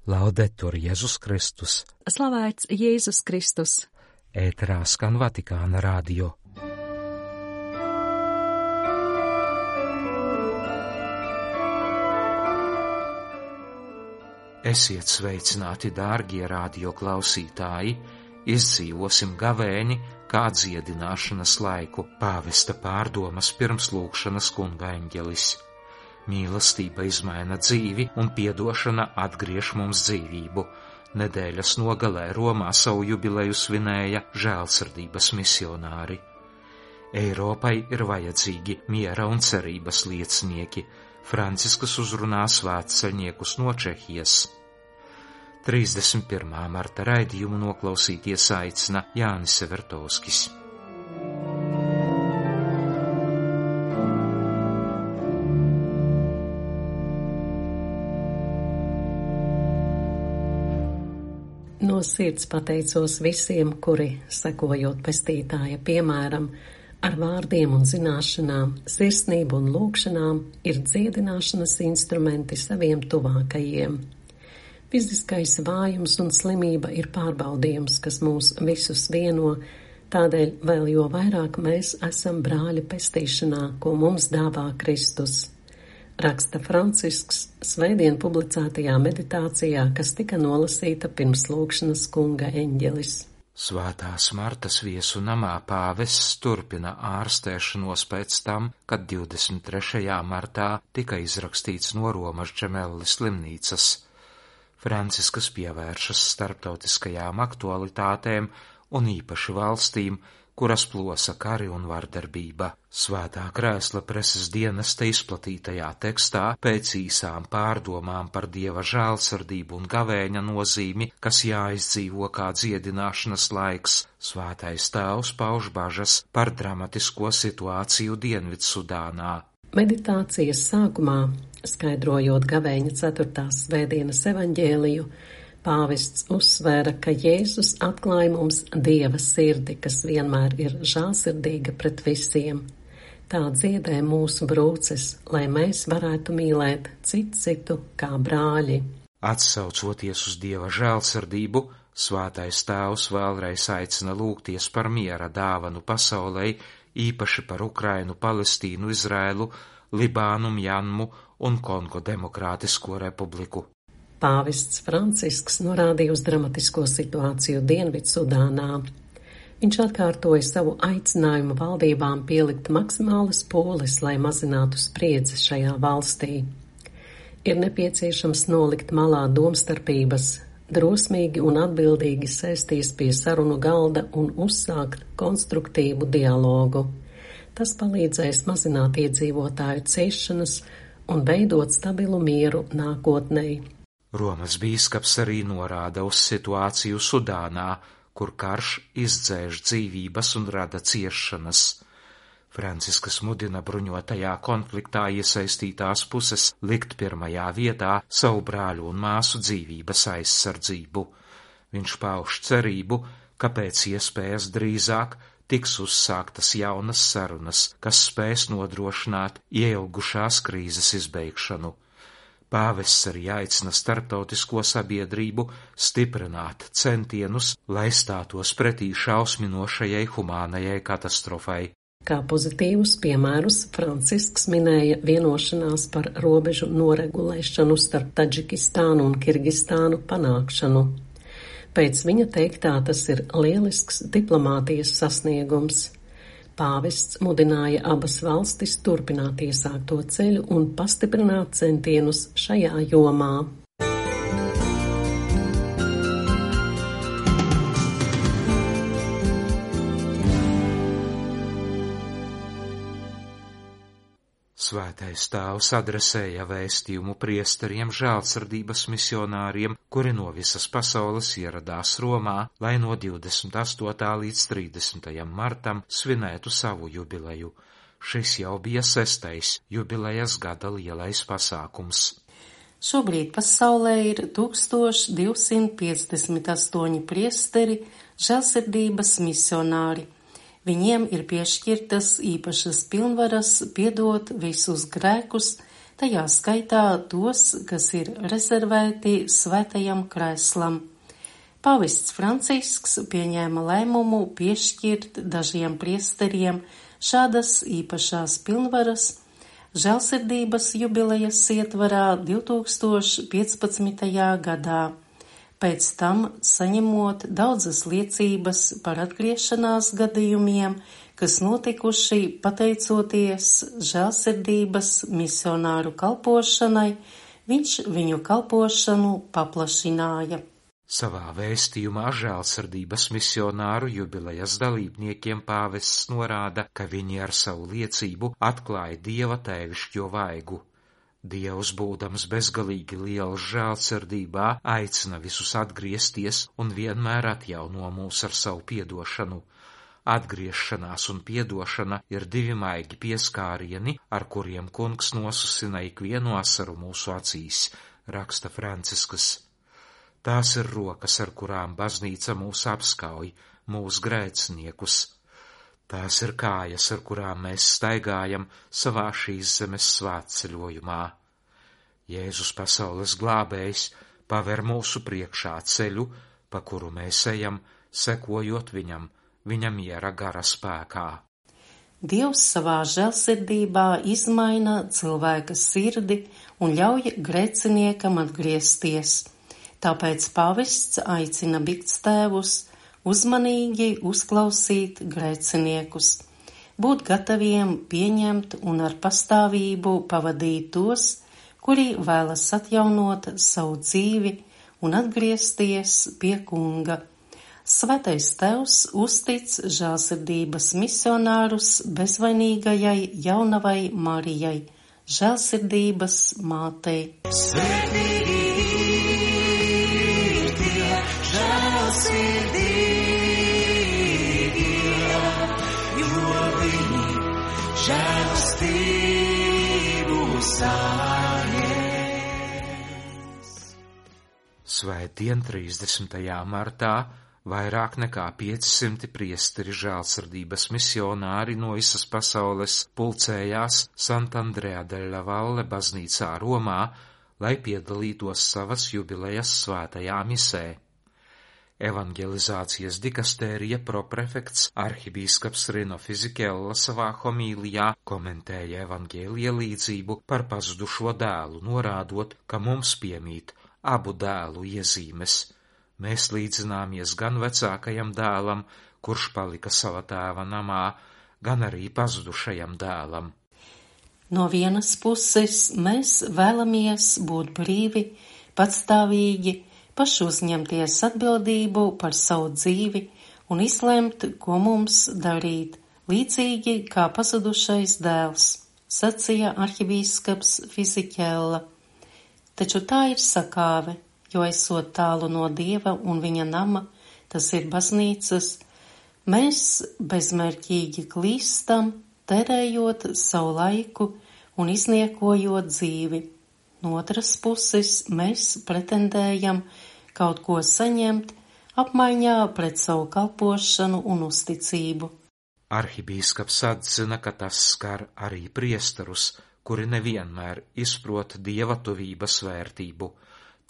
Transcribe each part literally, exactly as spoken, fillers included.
Laudetur Jēzus Kristus. Slavēts Jēzus Kristus. Ēterā skan Vatikāna radio. Esiet sveicināti, dārgie radio klausītāji! Izdzīvosim gavēni kā dziedināšanas laiku, pāvesta pārdomas pirms lūgšanas kunga eņģelis. Mīlestība izmaina dzīvi un piedošana atgriež mums dzīvību. Nedēļas nogalē Romā savu jubileju svinēja žēlsirdības misionāri. Eiropai ir vajadzīgi miera un cerības liecinieki. Franciskas uzrunā svētceļniekus no Čehijas. trīsdesmit pirmā marta raidījumu noklausīties aicina Jānis Severtovskis. No sirds pateicos visiem, kuri, sekojot pestītāja piemēram, ar vārdiem un zināšanām, sirsnību un lūgšanām, ir dziedināšanas instrumenti saviem tuvākajiem. Fiziskais vājums un slimība ir pārbaudījums, kas mūs visus vieno, tādēļ vēl jo vairāk mēs esam brāļi pestīšanā, ko mums dāvā Kristus. Raksta Francisks svētdien publicētajā meditācijā, kas tika nolasīta pirms lūgšanas kunga eņģelis. Svētās Martas viesu namā pāvests turpina ārstēšanos pēc tam, kad divdesmit trešajā martā tika izrakstīts no Romas Džemelli slimnīcas. Franciskas pievēršas starptautiskajām aktualitātēm un īpaši valstīm, kuras plosa kari un vardarbība. Svētā krēsla preses dienesta izplatītajā tekstā pēc īsām pārdomām par Dieva žēlsirdību un gavēņa nozīmi, kas jāizdzīvo kā dziedināšanas laiks, Svētais Tēvs pauž bažas par dramatisko situāciju Dienvidsudānā. Meditācijas sākumā, skaidrojot gavēņa ceturtās svētdienas evaņģēliju, pāvests uzsvēra, ka Jēzus atklāja mums Dieva sirdi, kas vienmēr ir žēlsirdīga pret visiem. Tā dziedē mūsu brūces, lai mēs varētu mīlēt citu citu kā brāļi. Atsaucoties uz Dieva žēlsirdību, Svētais Tēvs vēlreiz aicina lūgties par miera dāvanu pasaulei, īpaši par Ukrainu, Palestīnu, Izraēlu, Libānu, Mjanmu un Kongo Demokrātisko republiku. Pāvests Francisks norādīja uz dramatisko situāciju Dienvidsudānā. Viņš atkārtoja savu aicinājumu valdībām pielikt maksimālas pūles, lai mazinātu spriedzi šajā valstī. Ir nepieciešams nolikt malā domstarpības, drosmīgi un atbildīgi sēsties pie sarunu galda un uzsākt konstruktīvu dialogu. Tas palīdzēs mazināt iedzīvotāju ciešanas un veidot stabilu mieru nākotnē. Romas bīskaps arī norāda uz situāciju Sudānā, kur karš izdzēš dzīvības un rada ciešanas. Franciskas mudina bruņotajā konfliktā iesaistītās puses likt pirmajā vietā savu brāļu un māsu dzīvības aizsardzību. Viņš pauž cerību, ka pēc iespējas drīzāk tiks uzsāktas jaunas sarunas, kas spēs nodrošināt ieilgušās krīzes izbeigšanu. Pāvests arī aicina starptautisko sabiedrību stiprināt centienus, lai stātos pretī šausminošajai humānajai katastrofai. Kā pozitīvus piemērus Francisks minēja vienošanās par robežu noregulēšanu starp Tadžikistānu un Kirgistānu panākšanu. Pēc viņa teiktā tas ir lielisks diplomātijas sasniegums. Pāvests mudināja abas valstis turpināt iesākto ceļu un pastiprināt centienus šajā jomā. Svētais Tēvs adresēja vēstījumu priesteriem žēlsirdības misionāriem, kuri no visas pasaules ieradās Romā, lai no divdesmit astotā līdz trīsdesmitajam martam svinētu savu jubileju. Šis jau bija sestais jubilejas gada lielais pasākums. Šobrīd pasaulē ir tūkstoš divsimt piecdesmit astoņi priesteri, žēlsirdības misionāri. Viņiem ir piešķirtas īpašas pilnvaras piedot visus grēkus, tajā skaitā tos, kas ir rezervēti svētajam krēslam. Pāvests Francisks pieņēma lēmumu piešķirt dažiem priesteriem šādas īpašās pilnvaras žēlsirdības jubilejas ietvarā divtūkstoš piecpadsmitajā gadā, pēc tam saņemot daudzas liecības par atgriešanās gadījumiem, kas notikuši pateicoties žēlsirdības misionāru kalpošanai, viņš viņu kalpošanu paplašināja. Savā vēstījumā žēlsirdības misionāru jubilejas dalībniekiem pāvests norāda, ka viņi ar savu liecību atklāja Dieva tēvišķo vaigu. Dievs, būdams bezgalīgi liels žēlsirdībā, aicina visus atgriezties un vienmēr atjauno mūs ar savu piedošanu. Atgriešanās un piedošana ir divi maigi pieskārieni, ar kuriem kungs nosusina ikvienu asaru mūsu acīs, raksta Francisks. Tās ir rokas, ar kurām baznīca mūs apskauj, mūsu grēciniekus. Tās ir kājas, ar kurām mēs staigājam savā šīs zemes svētceļojumā. Jēzus, pasaules glābējs, paver mūsu priekšā ceļu, pa kuru mēs ejam, sekojot viņam, viņa miera gara spēkā. Dievs savā žēlsirdībā izmaina cilvēka sirdi un ļauj grēciniekam atgriezties. Tāpēc pāvests aicina bikstēvus uzmanīgi uzklausīt grēciniekus, būt gataviem pieņemt un ar pastāvību pavadīt tos, kuri vēlas atjaunot savu dzīvi un atgriezties pie kunga. Svētais Tevs uztic žēlsirdības misionārus bezvainīgajai jaunavai Marijai, žēlsirdības mātei. Svētīgi ir tie žēlsirdīgie, jo viņi žēlstību saņems. Svētdien trīsdesmitajā martā vairāk nekā piecsimt priesteri žēlsirdības misionāri no visas pasaules pulcējās Sant'Andrea della Valle baznīcā Romā, lai piedalītos savas jubilejas svētajā misē. Evangelizācijas dikastērija proprefekts arhibīskaps Rino Fisichella savā homīlijā komentēja evangēlija līdzību par pazudušo dēlu, norādot, ka mums piemīt abu dēlu iezīmes. Mēs līdzināmies gan vecākajam dēlam, kurš palika sava tēva namā, gan arī pazudušajam dēlam. No vienas puses mēs vēlamies būt brīvi, patstāvīgi, paši uzņemties atbildību par savu dzīvi un izlemt, ko mums darīt, līdzīgi kā pazudušais dēls, sacīja arhibīskaps Fisichella. Taču tā ir sakāve, jo esot tālu no Dieva un viņa nama, tas ir baznīcas, mēs bezmērķīgi klīstam, terējot savu laiku un izniekojot dzīvi. No otras puses mēs pretendējam kaut ko saņemt apmaiņā pret savu kalpošanu un uzticību. Arhibīskaps atzina, ka tas skar arī priesterus, kuri nevienmēr izprot Dieva tuvības vērtību.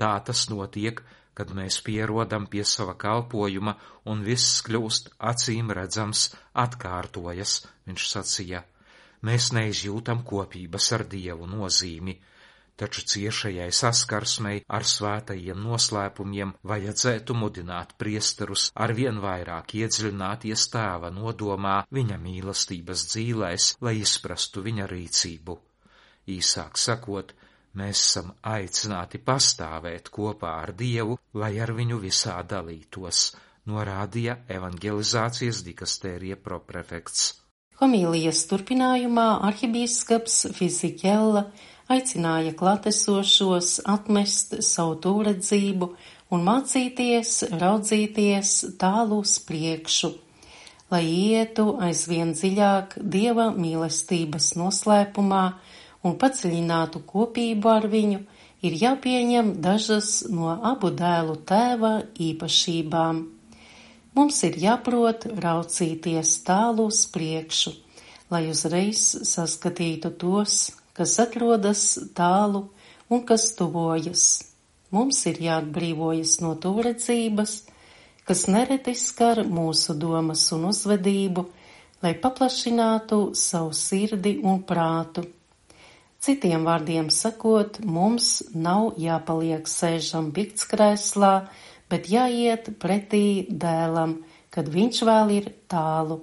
Tā tas notiek, kad mēs pierodam pie sava kalpojuma un viss kļūst acīm redzams, atkārtojas, viņš sacīja. Mēs neizjūtam kopības ar Dievu nozīmi, taču ciešajai saskarsmei ar svētajiem noslēpumiem vajadzētu mudināt priesterus arvien vairāk iedziļināties Tēva nodomā viņa mīlestības dzīlēs, lai izprastu viņa rīcību. Īsāk sakot, mēs esam aicināti pastāvēt kopā ar Dievu, lai ar viņu visā dalītos, norādīja evangelizācijas dikastērija proprefekts. Homīlijas turpinājumā arhibīskaps Fisichella aicināja klātesošos atmest savu tūredzību un mācīties raudzīties tālu uz priekšu, lai ietu aizvien dziļāk Dieva mīlestības noslēpumā un padziļinātu kopību ar viņu, ir jāpieņem dažas no abu dēlu tēva īpašībām. Mums ir jāprot raucīties tālu uz priekšu, lai uzreiz saskatītu tos, kas atrodas tālu un kas tuvojas. Mums ir jāatbrīvojas no tūredzības, kas nereti skar mūsu domas un uzvedību, lai paplašinātu savu sirdi un prātu. Citiem vārdiem sakot, mums nav jāpaliek sēžam biktskrēslā, bet jāiet pretī dēlam, kad viņš vēl ir tālu,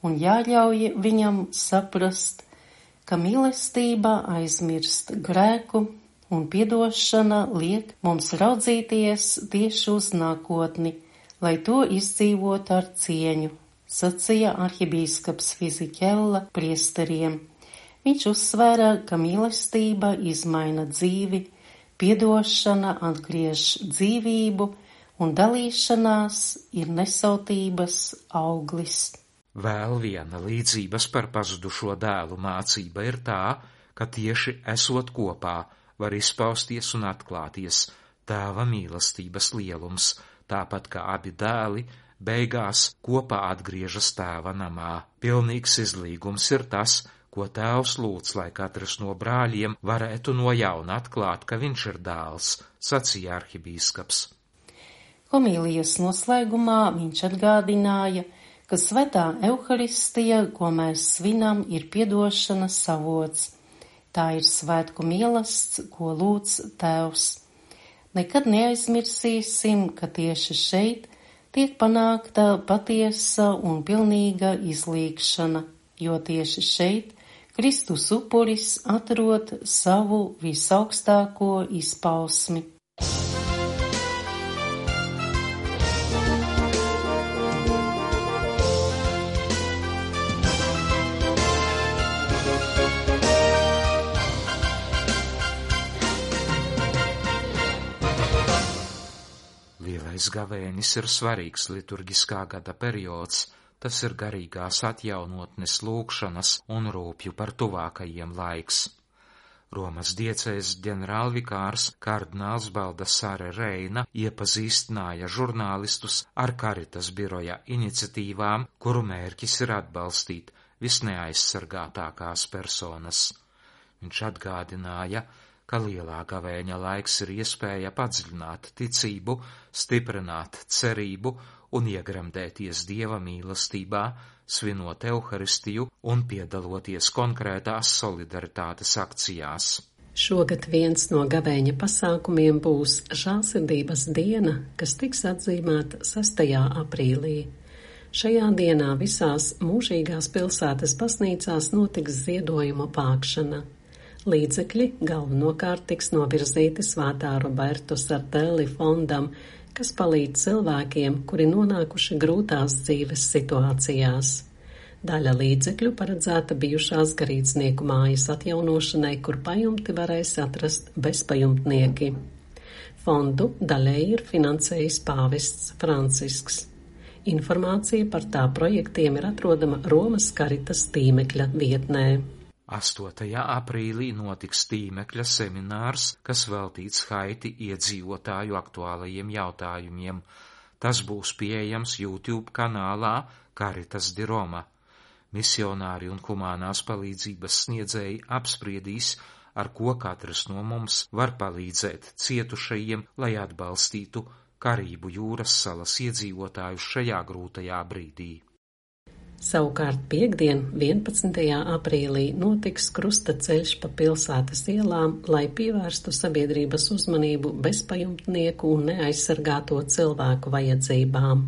un jāļauj viņam saprast, ka mīlestība aizmirst grēku un piedošana liek mums raudzīties tieši uz nākotni, lai to izdzīvot ar cieņu, sacīja arhibīskaps Fizikella priesteriem. Viņš uzsvēra, ka mīlestība izmaina dzīvi, piedošana atgriež dzīvību un dalīšanās ir nesautības auglis. Vēl viena līdzības par pazudušo dēlu mācība ir tā, ka tieši esot kopā var izpausties un atklāties tēva mīlestības lielums, tāpat kā abi dēli beigās kopā atgriežas tēva namā. Pilnīgs izlīgums ir tas, ko tēvs lūdz, lai katrs no brāļiem varētu no jauna atklāt, ka viņš ir dēls, sacīja arhibīskaps. Homīlijas noslēgumā viņš atgādināja, ka svētā Euharistija, ko mēs svinam, ir piedošanas avots. Tā ir svētku mīlestība, ko lūdz tēvs. Nekad neaizmirsīsim, ka tieši šeit tiek panākta patiesa un pilnīga izlīgšana, jo tieši šeit Kristus upuris atrod savu visaugstāko izpausmi. Lielais gavēnis ir svarīgs liturgiskā gada periods. Tas ir garīgās atjaunotnes lūgšanas un rūpju par tuvākajiem laiks. Romas diecēs ģenerālvikārs kardināls Baldassare Reina iepazīstināja žurnālistus ar Karitas biroja iniciatīvām, kuru mērķis ir atbalstīt visneaizsargātākās personas. Viņš atgādināja, ka lielā gavēņa laiks ir iespēja padziļināt ticību, stiprināt cerību un iegremdēties Dieva mīlestībā, svinot Euharistiju un piedaloties konkrētās solidaritātes akcijās. Šogad viens no gavēņa pasākumiem būs žēlsirdības diena, kas tiks atzīmēta sestajā aprīlī. Šajā dienā visās mūžīgās pilsētas baznīcās notiks ziedojuma vākšana. Līdzekļi galvenokārt tiks novirzīti Svētā Roberto Sardelli fondam, kas palīdz cilvēkiem, kuri nonākuši grūtās dzīves situācijās. Daļa līdzekļu paredzēta bijušās garīdznieku mājas atjaunošanai, kur pajumti varēs atrast bezpajumtnieki. Fondu daļēji ir finansējis pāvests Francisks. Informācija par tā projektiem ir atrodama Romas Karitas tīmekļa vietnē. astotajā aprīlī notiks tīmekļa seminārs, kas veltīts Haiti iedzīvotāju aktuālajiem jautājumiem. Tas būs pieejams YouTube kanālā Caritas di Roma. Misionāri un humānās palīdzības sniedzēji apspriedīs, ar ko katrs no mums var palīdzēt cietušajiem, lai atbalstītu Karību jūras salas iedzīvotājus šajā grūtajā brīdī. Savukārt piekdien, vienpadsmitajā aprīlī, notiks krusta ceļš pa pilsētas ielām, lai pievērstu sabiedrības uzmanību bezpajumtnieku un neaizsargāto cilvēku vajadzībām.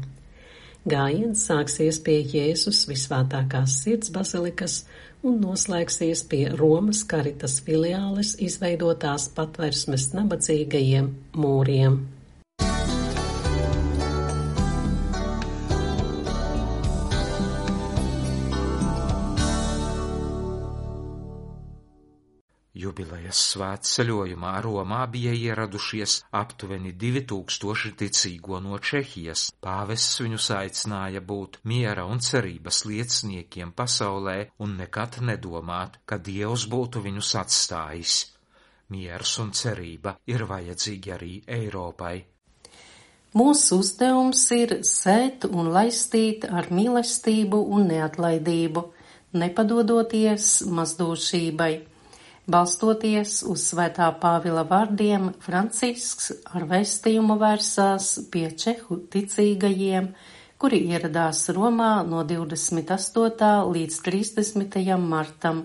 Gājiens sāksies pie Jēzus Visvētākās sirds bazilikas un noslēgsies pie Romas Karitas filiāles izveidotās patversmes nabadzīgajiem mūriem. Jubilejas svētceļojumā Romā bija ieradušies aptuveni divi tūkstoši ticīgo no Čehijas. Pāvests viņus aicināja būt miera un cerības lieciniekiem pasaulē un nekad nedomāt, ka Dievs būtu viņus atstājis. Miers un cerība ir vajadzīgi arī Eiropai. Mūsu uzdevums ir sēt un laistīt ar mīlestību un neatlaidību, nepadodoties mazdūšībai. Balstoties uz Svētā Pāvila vārdiem, Francisks ar vēstījumu vērsās pie čehu ticīgajiem, kuri ieradās Romā no divdesmit astotā līdz trīsdesmitajam martam.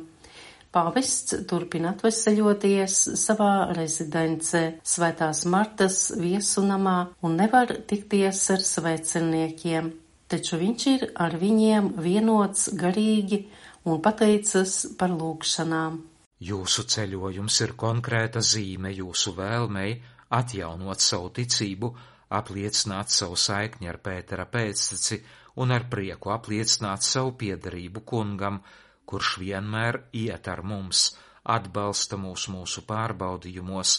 Pāvests turpina atveseļoties savā rezidencē Svētās Martas viesunamā un nevar tikties ar svēceniekiem, taču viņš ir ar viņiem vienots garīgi un pateicas par lūgšanām. Jūsu ceļojums ir konkrēta zīme jūsu vēlmei atjaunot savu ticību, apliecināt savu saikni ar Pētera pēcteci un ar prieku apliecināt savu piederību kungam, kurš vienmēr iet ar mums, atbalsta mūs mūsu pārbaudījumos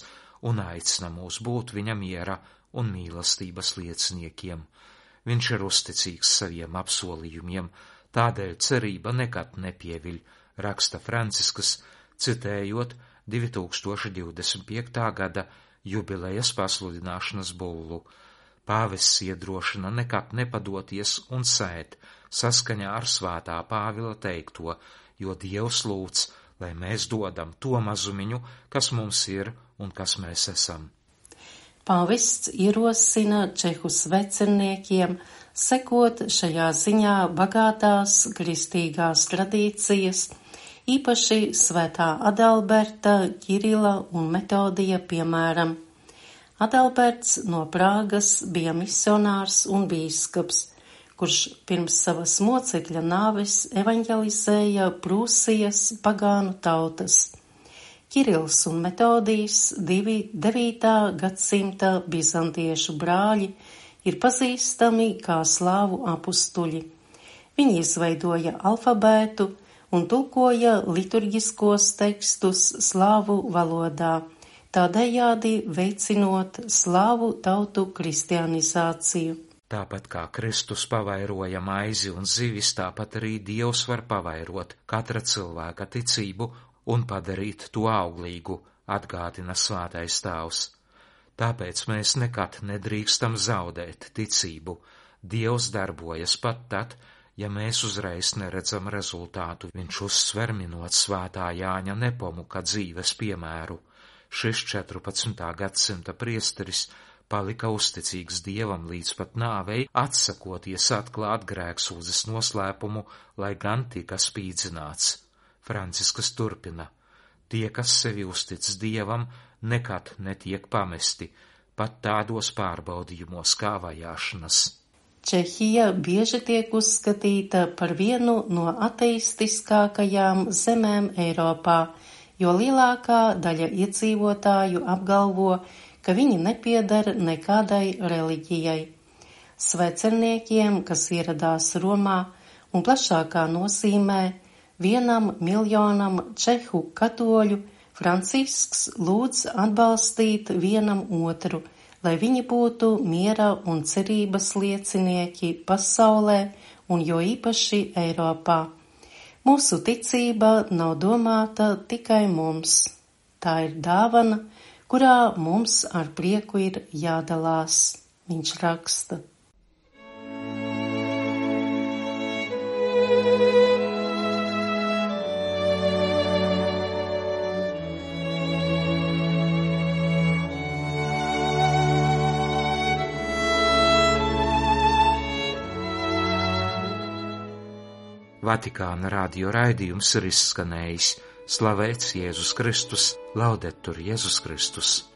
un aicina mūs būt viņa miera un mīlestības lieciniekiem. Viņš ir uzticīgs saviem apsolījumiem, tādēļ cerība nekad nepieviļ, raksta Francisks, citējot divi tūkstoši divdesmit piektā gada jubilejas pasludināšanas bullu. Pāvests iedrošina nekad nepadoties un sēt saskaņā ar Svētā Pāvila teikto, jo Dievs lūdz, lai mēs dodam to mazumiņu, kas mums ir un kas mēs esam. Pāvests ierosina čehu sveceniekiem sekot šajā ziņā bagātās kristīgās tradīcijas, īpaši Svētā Adalberta, Kirila un Metodija piemēram. Adalberts no Prāgas bija misionārs un bīskaps, kurš pirms savas mocekļa nāves evaņģelizēja Prūsijas pagānu tautas. Kirils un Metodijs, divi devītā gadsimta bizantiešu brāļi, ir pazīstami kā slāvu apustuļi. Viņi izveidoja alfabētu un tulkoja liturģiskos tekstus slāvu valodā, tādējādi veicinot slāvu tautu kristianizāciju. Tāpat kā Kristus pavairoja maizi un zivis, tāpat arī Dievs var pavairot katra cilvēka ticību un padarīt to auglīgu, atgādina Svētais Tēvs. Tāpēc mēs nekad nedrīkstam zaudēt ticību. Dievs darbojas pat tad, ja mēs uzreiz neredzam rezultātu. Viņš uzsver minot Svētā Jāņa Nepomuka dzīves piemēru. Šis četrpadsmitā gadsimta priesteris palika uzticīgs Dievam līdz pat nāvei, atsakoties atklāt grēksūdzes noslēpumu, lai gan tika spīdzināts. Francisks turpina: tie, kas sevi uztic Dievam, nekad netiek pamesti, pat tādos pārbaudījumos kā vajāšanas. Čehija bieži tiek uzskatīta par vienu no ateistiskākajām zemēm Eiropā, jo lielākā daļa iedzīvotāju apgalvo, ka viņi nepieder nekādai reliģijai. Svecerniekiem, kas ieradās Romā un plašākā nozīmē vienam miljonam čehu katoļu, Francisks lūdz atbalstīt vienam otru, lai viņi būtu miera un cerības liecinieki pasaulē un jo īpaši Eiropā. Mūsu ticība nav domāta tikai mums. Tā ir dāvana, kurā mums ar prieku ir jādalās, viņš raksta. Vatikāna radio raidījums ir izskanējis. Slavēts Jēzus Kristus, laudetur Jēzus Kristus.